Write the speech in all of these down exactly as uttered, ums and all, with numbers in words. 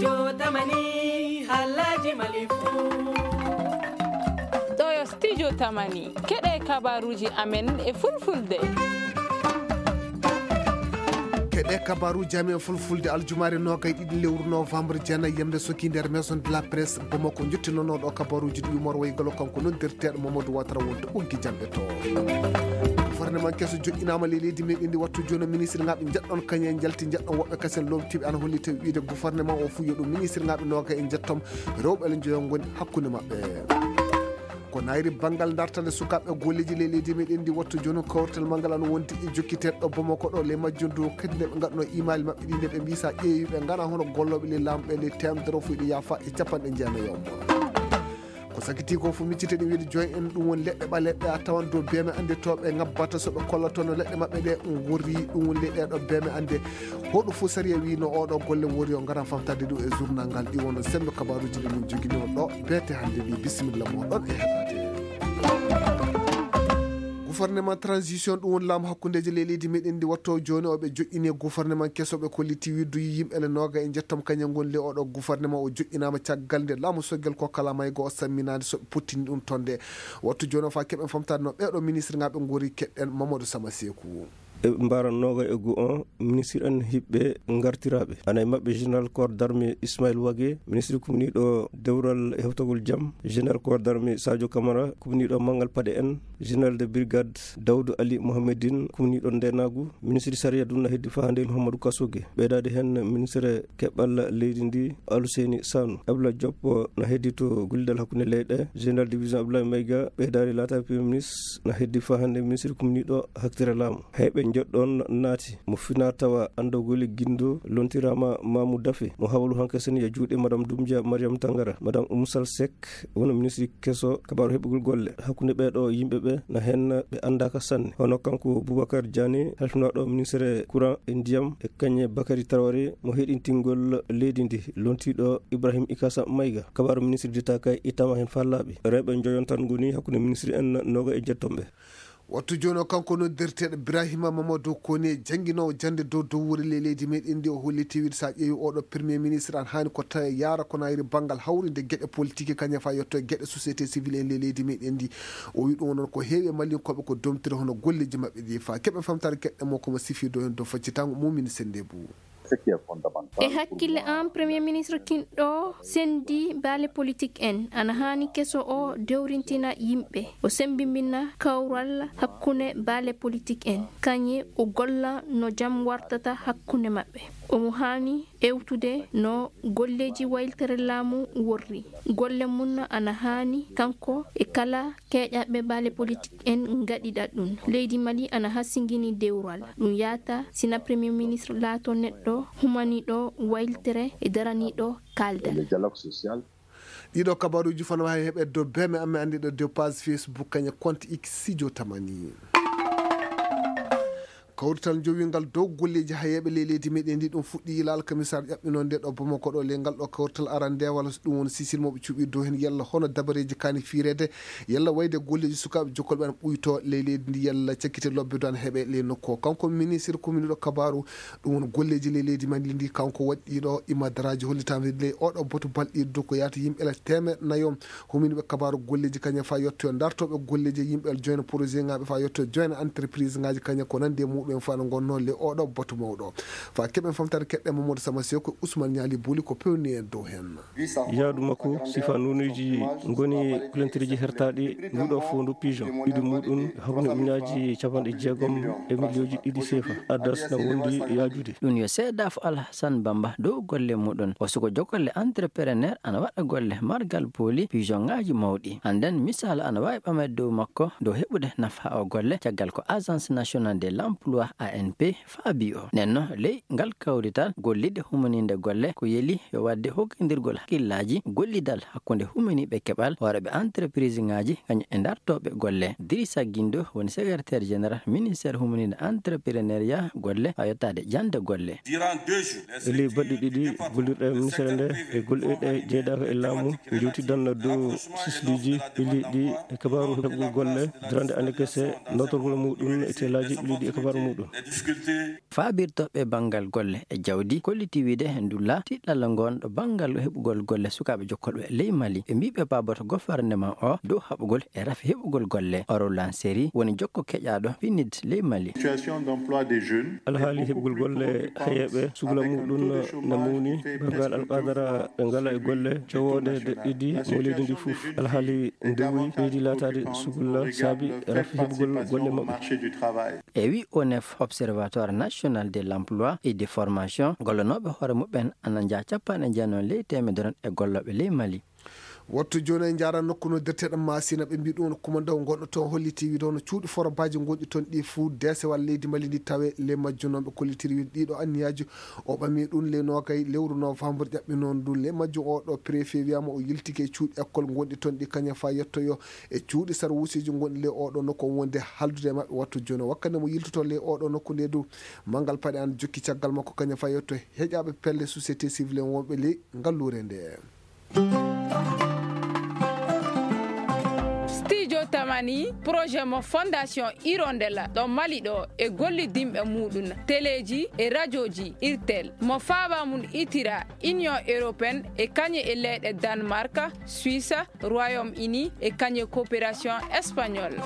Studio Tamani, Alhaji Malifu. Ɗo yo Studio Tamani, keɗe kabaruji amen e fulfulde. Keɗe kabaruji amen fulfulde aljumaare noogay ɗiɗi lewru novembre, jeenay yamde soki nder Maison de la Presse Bamako. Jottinonoɗo kabaruji ɗi Umar Waygalo, kanko noddirteeɗo Mamadou Ouattara wonta ɓoggi jamɗe to. Gouvernement keso joƴƴinaama ley leydi meɗen ndi. Wattu jooni ministre ngaɓe njeɗɗon kañe njalti njeɗɗon woɓɓe kasen lomtiɓe ana holli tawi wiide gouvernement o fuu yo ɗum ministre ngaɓe nooga e njettom rewɓe ala njoyo ngoni hakkunde maɓɓe. Ko nayri banngal dartande sukaaɓe golleji ley leydi meɗen ndi. Wattu jooni kawrital manngal ana wondi e jokkiteeɗo Bamako ɗo ley majjum dow kadi nde ɓe ngaɗno imali maɓɓe ɗi nde ɓe mbi sa ƴeewi ɓe ngana hono gollooɓe ley laamu ɓe ley temedere o fuu ɗi yaafa e capanɗe jeenayi on. Ko sakiti ko fof miccite ɗum wiide joyi en ɗum woni leɗɗe ɓaleɗe a tawan dow beeme annde to ɓe ngabbata so ɓe kollatono leɗɗe maɓɓe ɗe ngorri ɗum woni ley ɗeɗo beeme annde. Hoɗo fof sariya wino oɗo golle wori o ngara famtade ɗum e journal ngal ɗi wono sembe kabaruji ɗi min jogino ɗo beete hannde ndi. Bisimilla moɗon e heɗade. Gouvernement transition ɗum woni laamu hakkundeji ley leydi meɗen ndi. Watto jooni oɓe joƴƴini gouvernement keso ɓe kolliti widdu yimɓe le nooga e njettom kañum ngoni le oɗo gouvernement o joƴƴinama caggal nde laamu soggel ko kala maygo o samminade so ɓe pottini ɗum tonde. Wattu jooni o fa keɓen famtade no ɓeɗo ministre ngaɓe ngori keɗɗen Mamadou Sama Seku. E mbaran nooga e goo on ministre en hiɓɓe ngartiraaɓe ana e maɓɓe général corps d'armée Ismaël Wage, ministre kumniiɗo dewral e hewtagol jam, général corps d'armée Sadio Camara, kumniiɗo manngal paɗe en, général de brigade Daoudou Ali Mohamedine, kumniiɗo ndenaagu, ministre sariya ɗum na heddi faande Mouhamadou Kasoge. Ɓeydaade heen ministre keɓal leydi ndi Aluseyni Sanu. Abdoulaye Diop na heddi to gollidal hakkunde leyɗe, général division Abdoulaye Mayga, ɓeydaade laataade premier ministre na heddi faande ministre kumniiɗo haktere laamu. Hay ɓe njoɗɗon naati mo fina tawa anndogoli gindo lontiraama Mamou Dafe, mo hawalu hanke sen ya juuɗe Madame Doumbia Mariam Tangara, Madame Oumou Sall Seck, wano ministre keso kabaaru heɓugol golle hakkunde ɓeeɗo yimɓe ɓe na heen ɓe anndaaka sanne. Hono kanko Boubacar Diané, halfinaaɗo ministre courant e ndiyam, e kañe Bakary Traoré, mo heɗintingol leydi ndi, lontiiɗo Ibrahim Ikasa Mayga. Kabaaru ministre d'État kay ittama heen fallaaɓe. Rewɓe njoyon tan ngoni hakkunde ministre en nooga e jettomɓe. Wattu jooni o kanko noddirteeɗo Birahima Mamadou Kone, jannginoowo jannde dow dow wuri ley leydi meɗen ndi, o holli tewiri so a ƴeewi oɗo premier ministre an haani ko tawi yaara ko nayri banngal hawrinde geɗe politique kañum fa yetto e geɗe société civile en ley leydi meɗen ndi. O wi ɗum noon ko heewi e Malinkooɓe ko domtiri hono golleji maɓɓe ɗi fa keɓe famtare geɗe mo komo sifi dow heen dow faccitango mumini sende bu. E hakkille am, Premier Ministre kinɗo sendi baale politik en ana haani keso o dewrintina yimɓe, o sembimbina kawral hakkunde baale politik en, kañe o golla no jam wartata hakkunde maɓɓe. Omo haani ewtude no golleeji wayltere laamu worri. Golle mum ana haani kanko e kala keeƴaɓe baale politik en ngaɗiɗa ɗum. Leydi Mali ana hasingini dewral. Ɗum yaata sina Premier Ministre laato neɗɗo humaniiɗo wayltere e daraniiɗo kaaldal. Ɗiɗo kabaruuji fana waawi heɓeede dow beme amen anndiɗo dow page Facebook kañe compte X Sidio Tamani. Kawrital jowingal dow golleeji hayeeɓe ley leydi meɗen ndi ɗum fuɗɗi ila alkamisaare ƴaɓɓinoo nde ɗo Bamako ɗo. Ley ngal ɗo kawrital arande walla so ɗum woni sisil mo ɓe cuɓi dow heen yalla hono dabareeji kaani fiireede yalla wayde golleeji sukaaɓe jokkolɓe ana ɓuyto ley leydi ndi yalla cakkite lobbe do ana heɓe ley nokku o. Kanko ministre kuminiɗo kabaaru ɗum woni golleeji ley leydi men ndi kanko waɗɗiɗo imadaraaji hollitaama ley oɗo boto balɗiɗo dow ko yaata yimɓe ila teemeɗe nayo. Humini ɓe kabaaru golleeji kañum fa yetto dartooɓe golleeji e yimɓe joyna projet ŋaaɓe fa yetto joyna entreprise ŋaaji kañum ko nandi e muɗum en fa no gonno le oɗo batu mawɗo. Fa keɓen famtare keɗɗe Mamadou Sama Sew ko Ousmane Niali Boli ko pewni en dow heen. Yaadu makko sifa nuunuuji ngoni kulantireeji hertaaɗi nguɗo fondu pigeon ɗiɗi muɗum hakkunde ujunnaaji capanɗe jeegom e miliyonji ɗiɗi sefa addas na wondi yaajude. Ɗum yo seedafo Alhassane Bamba dow golle muɗum. O suko jogolle entrepreneur ana waɗa golle margal pooli pigeon ŋaaji mawɗi. Hannden misal ana waawi ɓameede dow makko dow heɓude nafa o golle caggal ko Agence Nationale de l'Emploi, A N P, faabi o. Nenno ley ngal kawrital gollidde humaninde golle ko yeli yo waɗde hokkindirgol hakkillaaji gollidal hakkunde humaniiɓe keɓal hooreeɓe entreprise ŋaaji kañum e dartooɓe golle. Dirisa Gindo woni secrétaire général ministère humaninde entrepreneuriat golle haa yottaade jannde golle. E ley balɗe ɗiɗi gollirɗe e ministere nde e golle ɗe jeydaaka e laamu njewtidan dow sisliiji ɓilliiɗi e kabaaru heɓugol golle darande annde kese notorgol muɗum e teelaaji ɓilliiɗi e kabaaru muɗum. Faabirtooɓe banngal golle e jawdi kolliti wiide ndulla tiɗɗalla ngon ɗo banngal heɓugol golle sukaaɓe jokkolɓe ley Mali. Ɓe mbii ɓe paaboto gofarnema o dow haɓugol e rafi heɓugol golle. Oro Lanseri woni jokko keƴaaɗo pinid ley Mali. Alhaali heɓugol golle heyeeɓe sugla muɗum na mawni banngal alqadara ɓe ngala e golle cowoode deɗɗidi mo leydi ndi fof. Alhaali ndewi ɓeydi laataade sugulla saabi rafi heɓugol golle maɓɓe. E wi onef, Observatoire National de l'Emploi et de Formation, gollonooɓe hoore muɓɓen ana njaa capanɗe jeenayi ley teemedere e gollooɓe ley Mali. Wattu jooni en njaara nokku no derteɗe Masina ɓe mbii ɗum no kumandaw gonɗo toon holliti wiide hono cuuɗi forobaaji gonɗi toon ɗi fuu deesewal leydi Mali ndi tawe ley majjum. Noon ɓe kollitiri wiide ɗiɗo anniyaaji o ɓami ɗum ley noogay lewru novembre ƴaɓɓi noon ndu ley majjum. O ɗo préfet wiyaama o yiltike e cuuɗi école gonɗi toon ɗi kañum faa yettoyo e cuuɗi sarwuusiiji gonɗi ley oɗo nokku o wonde haaldude e maɓɓe wattu jooni o. Wakkati mo yiltoto ley oɗo nokku nde du, Manngal Paɗe an jokki caggal makko kañum faa yetto heƴaaɓe pelle société civile en wonɓe ley ngalluure nde. Studio Tamani, projet mo Fondation Hirondella ɗo Mali ɗo e gollidinɓe muɗum, teleeji e rajooji Irtel mo faaba mum itira Union Européenne e kañe e leyɗe Danemark, Suisse, Royaume-Uni e kañe coopération espagnole.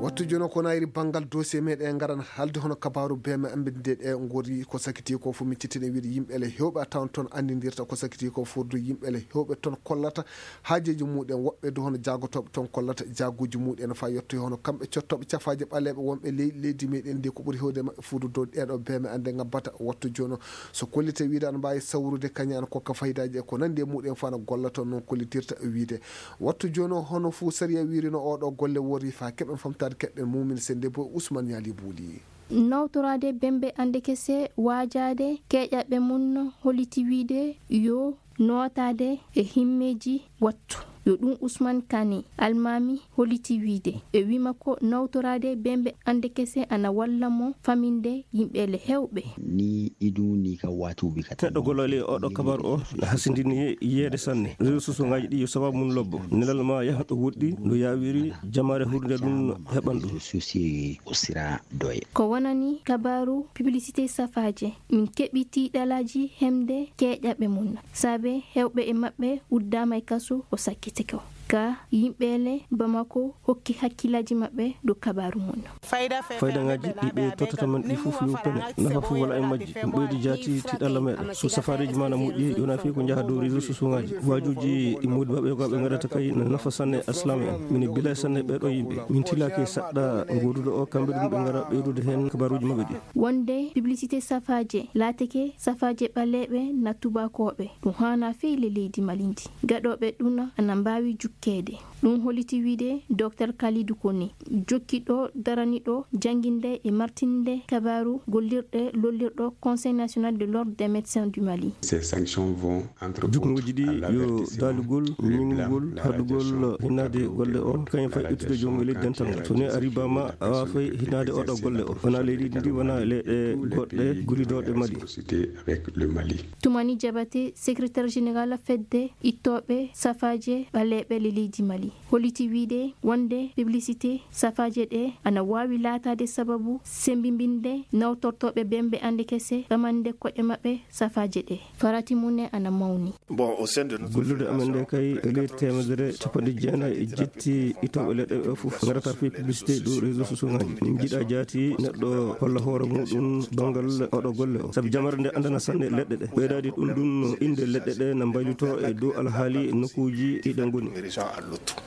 Wattu jono ko nayri banngal dossier meɗen ngaran haalde hono kabaaru B M amɓe nde ɗe ngori ko sakiti ko fof miccitini wiide yimɓe ele hewɓe a tawan toon anndindirta ko sakiti ko fof du yimɓe ele hewɓe toon kollata haajeeji muɗen woɓɓe du hono jaagotooɓe toon kollata jaaguuji muɗen faa yettoyi hono kamɓe cottooɓe cafaaje ɓaleeɓe wonɓe ley leydi meɗen ndi ko ɓuri hewde maɓɓe fof du dow ɗeɗo B M ande ngabbata wattu jono so kollite wiide ana mbaawi sawrude kañum ana kokka faydaaji e ko nanndi e muɗen faa no golla toon noon kollitirta wiide. Wattu jooni o hono fuu sariya wiirino oo ɗoo golle woori faa keɓen famtaade keɗɗen muumin sennde boy Usman Ñaali Buuli. Nawtoraade bembe annde kese waajaade keeƴaɓe mum no holliti wiide yo nootaade e himmeeji wattu yo ɗum Usman Kani almaami holliti wiide e wima ko nawtoraade bembe annde kese ana walla mo faminde yimɓe le hewɓe. Ni idu ni ka watuɓe ka teɗɗo golole oɗo kabar o na hasindini yeede sanne réseau sociaux ngaji ɗi yo sababu mum lobbo nelal ma yaha ɗo woɗɗi no yawiri jamaare hurnde ɗum heɓan ɗum. Ko sira doye ko wonani kabaru publicité safaaje min keɓiti ɗalaji hemde keeƴaɓe mum saabe hewɓe e maɓɓe uddama e kasu o sakkiti ko ka yimɓe le bamako hokki hakkillaji maɓɓe ɗo kabaru mum. Fayda ngaji ɗi ɓe tottata men ɗi fof yo pene nafa fof wala e majji ɗum ɓeydi jaati tiɗalla meɗen so safareji ma na moƴƴi yona fi ko jaha dow réseau sociaux ngaji wajuji ɗi modi maɓɓe ko ɓe gadata kay na nafa sanne aslam en min bila sanne ɓeɗo yimɓe min tilaki saɗɗa goduɗo o kamɓe ɗum ɓe gara ɓeydude hen kabaruji maɓɓe ɗi. Wonde publicité safaaje laateke safaaje ɓaleeɓe na tubakooɓe ɗum haana fey le leydi Mali ndi gaɗooɓe ɗum ana mbaawi jukkeede. Ɗum holliti wiide Docteur Kalidou Koné jokkiɗo daraniɗo jannginde e martinde kabaaru gollirɗe lollirɗo Conseil national de l'ordre des médecins du Mali. Ces sanctions vont entre autres juknooji ɗi yo daalugol ñingugol haɗugol hinnaade golle o kañum fay ittude joom e leydi dental ngal so ni a ribama a waafay hinnaade oɗo golle o wona leydi ndi wona leyɗe goɗɗe gulidoɗe Mali. Tumani Jabate secrétaire général fedde ittooɓe safaaje ɓaleeɓe le leydi Mali holliti wiide wonde publicité safaaje ɗe ana waawi laataade sababu sembimbinde nawtortooɓe bembe annde kese ɓamande koɗe maɓɓe safaaje ɗe farati mum ne ana mawni. Gollude amen nde kay e leydi teemedere capanɗe jeenayi e jetti ittooɓe leɗɗe ɓe fof ngarata fii publicité ɗo réseau sociaux ngaji min jiɗa jaati neɗɗo holla hoore muɗum banngal oɗo golle o sabu jamare nde anndana sanne leɗɗe ɗe ɓeydaade ɗum ɗum innde leɗɗe ɗe na mbayluto e dow alhaali nokkuuji ɗi ɗe ngoni.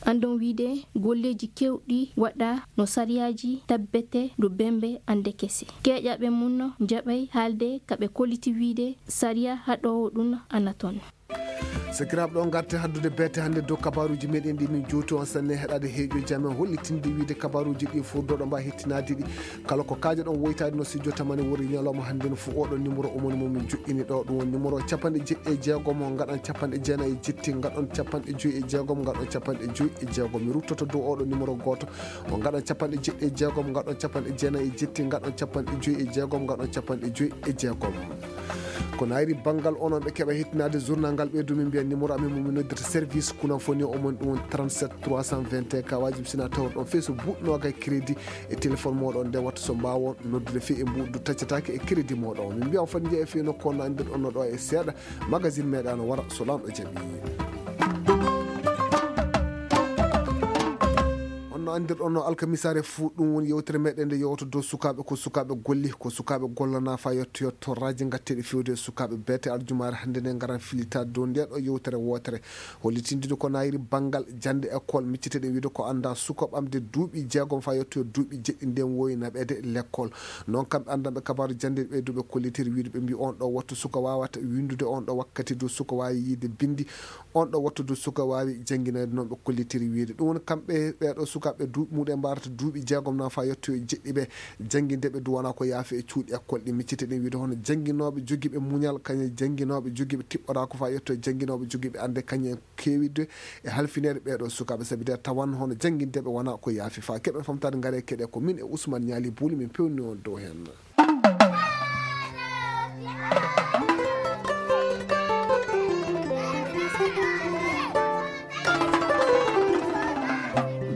Anndon wiide golleeji kewɗi waɗa no sariyaaji tabbete ɗo bembe annde kese keeƴaɓe mum no njaɓay haalde ka ɓe kolliti wiide sariya haɗoowo ɗum ana toon. Sakiraaɓe ɗo ngarte haddude beete hannde dow kabaruuji meɗen ɗi min jowti on sanne heɗaade heeƴo jamen hollitinde wiide kabaruuji ɗi fof doɗo mba hettinaade ɗi kala ko kaaja ɗon woytaade no si jotamani wori ñalawma hannde no fof oɗo numéro umoni mo min joɗɗini ɗo ɗum woni numéro capanɗe jeɗɗi e jeegom o ngaɗan capanɗe jeenayi e jetti ngaɗon capanɗe joyi e jeegom ngaɗon capanɗe joyi e jeegom mi ruttoto dow oɗo numéro gooto o ngaɗon capanɗe jeɗɗi e jeegom ngaɗon capanɗe jeenayi e jetti ngaɗon capanɗe joyi e jeegom ngaɗon capanɗe joyi e jeegom. Ko naayri banngal onon ɓe keɓa hettinaade journal ngal, ɓeydu min mbiya numéro amen mo min noddirta service kunan foni o mon ɗum woni trente-sept trois cent vingt et un, ka wajibi sina tawr ɗon fey so buuɗ noogay crédit e téléphone moɗon nde watta so mbaawon noddude fey e mbuuɗdu taccataake e crédit moɗon. Min mbiya on foti njeya fey nokku on no anndirɗon no ɗo e seeɗa. Magazine meɗa no wara so Laamɗo jaɓi. On no anndirɗon no alkamisaare fuu ɗum woni yewtere meɗen nde yewta dow sukaaɓe, ko sukaaɓe golli, ko sukaaɓe gollana fa yetto yetto raji ngatteɗi fewde e sukaaɓe beete. Arjumaare hannde nde ngaran filitaade dow nde ɗo yewtere wootere. Hollitindude ko naayri banngal jannde école, micciteɗen wiide ko annda suka ɓamde duuɓi jeegom fa yetto e duuɓi jeɗɗi nden wowi naɓeede lekkol. Noon kamɓe anndanɓe kabaaru jannde ɓe duuɓe kollitiri wiide ɓe mbi on ɗo wattu suka waawata winndude, on ɗo wakkati du suka waawi yiide binndi, on ɗo wattu du suka waawi jannginayde noon ɓe kollitiri wiide. Ɗum woni kamɓe ɓeeɗo sukaaɓe duuɓi muɗen mbarata duuɓi jeegom na fa yetto e jeɗɗi ɓe jannginde ɓe du wona ko yaafi e cuuɗi école ɗi. Micciteɗen wiide hono jannginooɓe jogiiɓe muñal, kañum jannginooɓe jogiiɓe tiɓɓoraa ko fa yetto e jannginooɓe jogiiɓe annde kañum keewidde e halfineede ɓeeɗo sukaaɓe, sabi de tawan hono janngindeeɓe wona ko yaafi. Fa keɓen famtaade ngare keɗe ko min e Ousmane Ñaali Buuli min pewni on dow heen.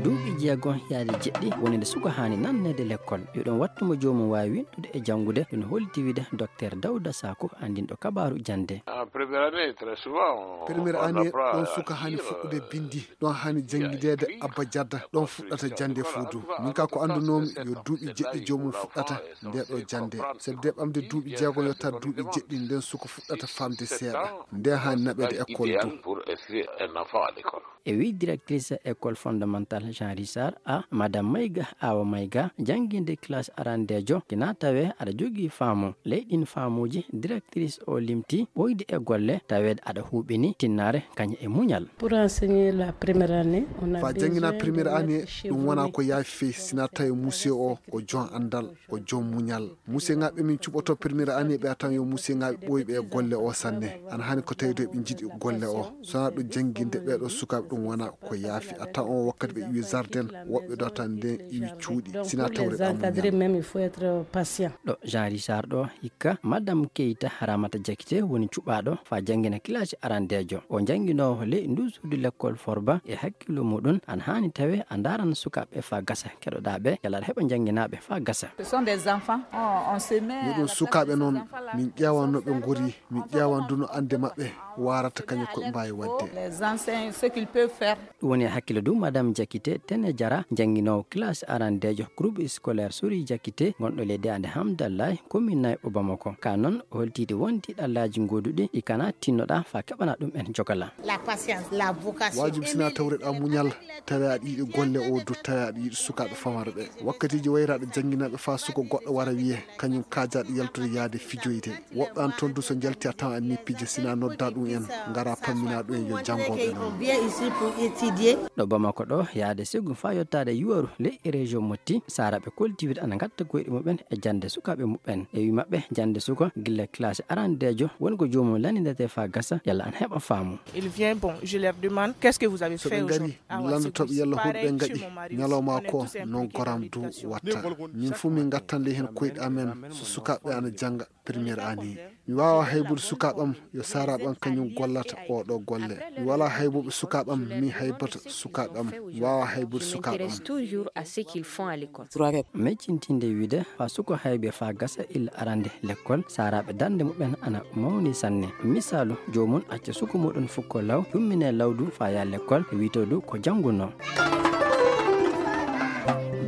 Duuɓi jeegom yaade jeɗɗi woni nde suka haani nanneede lekkol. Yo ɗum wattu mo joomum waawi winɗude e janngude, ɗum holliti wiide Docteur Dawda Sako, anndinɗo kabaaru jannde. En première année, très souvent, on, première on année, apprend ɗon à suka haani lire, fuɗɗude euh, binndi, ɗon haani janngideede abba jadda, ɗon fuɗɗata jannde fuu du. Min ka ko anndunoomi yo duuɓi jeɗɗi joomum fuɗɗata nde ɗo jannde. Sabi de ɓamde duuɓi jeegom yottaa duuɓi jeɗɗi nden suka fuɗɗata faamde seeɗa. Nde haani naɓeede école du. Pour inscrire un enfant à l'école. E wi directrice école fondamentale Jean Richard A, Madame Mayga, Awa Mayga, jannginde classe arandeejo, kina tawe aɗa jogii faamu. Ley ɗin faamuuji, directrice o limti ɓoyde e golle, taweede aɗa huuɓini tinnaare kañum e muñal. Pour enseigner la première année, on a fa besoin jangina de première année, maître chevronné, ɗum wona ko yaafi fey, sina tawi monsieur o, o jon anndal, o jon muñal. Musiyeŋaaɓe min cuɓoto première année ɓe a tan yo musiyeŋaaɓe ɓooyɓe e golle o sanne. Ana hani ko tawi ɗo ɓe njiɗi golle o. Sona ɗo jannginde ɓeeɗo sukaaɓe ɗum wona ko yaafi. A tan on wakkati ɓe iwi jardin, woɓɓe ɗo tan nden iwi cuuɗi. Sina tawre ɗa muñal. Même, il faut être patient. Ɗo Jean Richard ɗo hikka, Madame Keita Ramata Jakite woni cuɓaaɗo fa janngina kilasi arandeejo. O jannginoowo ley ndu suudu lekkol Forba e hakkillo muɗum, an haani tawe a ndaran sukaaɓe fa gasa keɗoɗaa ɓe, yalla aɗa heɓa jannginaaɓe fa gasa. Ce sont des enfants, on, on se met à la place de ces enfants-là. Miɗum sukaaɓe noon, min ƴeewan no ɓe ngori, min ƴeewan du no annde maɓɓe waarata kañum ko ɓe mbaawi waɗde. Les enseignants, ce qu'ils peuvent faire. Ɗum woni e hakkille dow Madame Jakite Tene Jara, jannginoowo classe arandeejo groupe scolaire Sori Jakite, gonɗo ley deyande Hamdallahi, commune Nayɓo Bamako. Ka noon, o holtiide won tiiɗallaaji gooduɗi ɗi kana tinnoɗaa fa keɓana ɗum en jogala. La patience, la vocation. Waajum sina tawreɗaa muñal, tawi aɗa yiɗi golle o du, tawi aɗa yiɗi sukaaɓe famara ɓe. Wakkatiiji wayraɗo jannginaaɓe fa suko goɗɗo wara wiye, kañum kaajaɗo yaltude yaade fijoyde. Woɓɓe an toon du so njalti a tawan anni pije sina nodda ɗum en, ngara pammina ɗum en yo janngooɓe noon. On vient ici pour étudier. Ɗo Bamako ɗo, yaade sigu fa yottaade Yuwaru ley e région Motti, saaraaɓe koltiwide ana ngatta koyɗe muɓɓen e jannde sukaaɓe muɓɓen. E wi maɓɓe, jannde suka gilla classe arandeejo woni ko joomum lanndindete fa gasa, yalla an heɓa faamu. Il vient, bon, je leur demande, qu'est-ce que vous avez fait aujourd'hui? So ɓe ngari, mi lanndoto ɓe yalla honɗum ɓe ngaɗi ñalawma ko, noon goram du watta. Min fuu min ngattan ley heen koyɗe amen so sukaaɓe ana jannga première année. Mi waawa haybude sukaaɓe am, yo saaraaɓe am kañum gollata oo ɗoo golle. Mi walaa haybuɓe sukaaɓe am, mi haybata sukaaɓe am. Mi waawa haybude sukaaɓe am. Toujours à ce qu'ils font à l'école. Meccintinde wiide, fa suka haybe fa gasa illa arande lekkol, saaraaɓe darnde muɓɓen ana mawni sanne. Misaalu, joomum acca suka muɗum fukko law, yummine lawdu fa yaa lekkol, wiito du ko janngunoo.